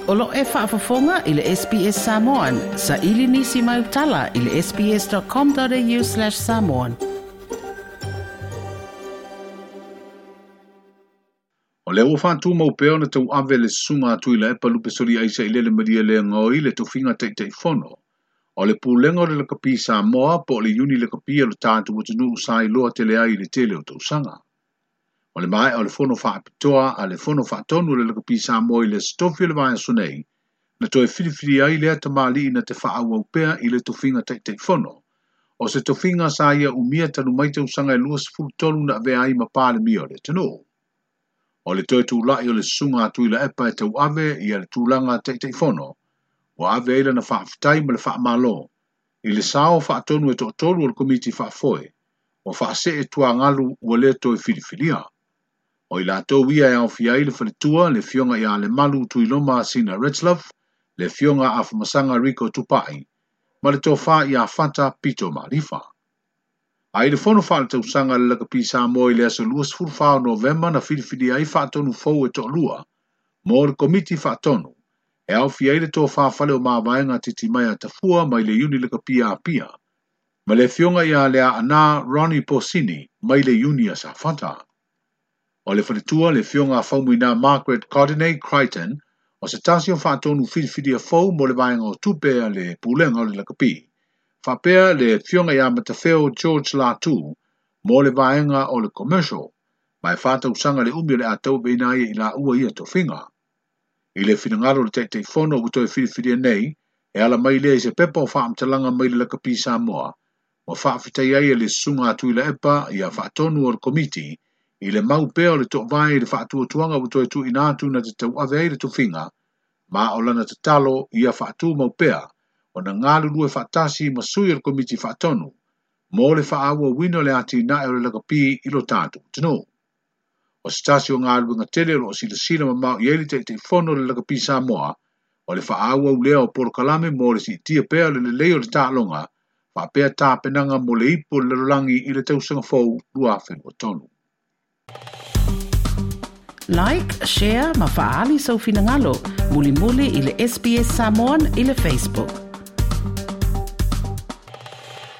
O lo o e faafofoga i le SBS Samoan. Saili nisi mai tala i le sbs.com.au/samoan. O lea ua faatumau pea ona tauave le susuga a Tuilaepa Lupesoliai Sailele Malielegaoi le tofiga Taitaifono o le Pulega o le Lakapi Samoa po o le Iuni Lakapi a lo tatou atunuu sa iloa tele ai i le tele o tausaga. O le maea o le fono faapitoa a le fono faatonu o le Lakapi Samoa i le Aso Tofi o le vaiaso nei, na toe filifili ai lea tamalii na te faaauau pea i le tofiga Taitaifono. O se tofiga sa ia umia talu mai tausaga e 23 na avea ai ma Palemia o le atunuu. O le toe tulai o le susuga a Tuilaepa e tauave ia le tulaga Taitaifono, ua ave ai lana faafetai ma le faamalo i le sao faatonu e toatolu o le Komiti Faafoe, ua faasee tuagalu ua le toe filifilia. O i latou ia e aofia ai le faletua, le afioga ia Lemalu Tuiloma Sina Retzlaff, le afioga Afamasaga Rico Tupai, ma le tofa ia Fata Pito Malifa. A i le fono faaletausaga a le Lakapi Samoa i le aso 24 o Novema na filifilia ai faatonu fou e toalua mo le Komiti Faatonu, e aofia ai le tofa fale o Mavaega Titimaea Tafua mai le Iuni Lakapi a Apia, ma le afioga ia Leaana Ronnie Posini mai le Iuni a Safata. O le faletua, le afioga a Faumuina Margaret Cardinay Crichton, o se tasi o faatonu filifilia fou mo le vaega o tupe a le Pulega o le Lakapi. Faapea le afioga ia Matafeo George Latu mo le vaega o le commercial, ma e 4 tausaga le umi o le a tauaveina ai i laua ia tofiga. I le finagalo o le Taitaifono ua toe filifilia nei, e ala mai lea i se pepa o faamatalaga mai le Lakapi Samoa, ua faafetai ai e le susuga a Tuilaepa ia faatonu o le Komiti i le mau pea o le toovae i le faatuatuaga ua toe tuuina atu na te tauave ai le tofiga, ma o lana tatalo ia faatumau pea ona galulue faatasi ma sui o le Komiti Faatonu mo le faaauauina o le atinae o le lakapi i lo tatou atunuu. O se tasi o galuega tele o loo silasila mamao i ai le Taitaifono o le Lakapi Samoa, o le faaauau lea o polokalame mo le siitia pea o le lelei o le taaloga, faapea tapenaga mo le Ipu o le Lalolagi i le tausaga fou 2023. Like, share ma faaali sou finagalo. Mulimuli i le SBS Samoan i le Facebook.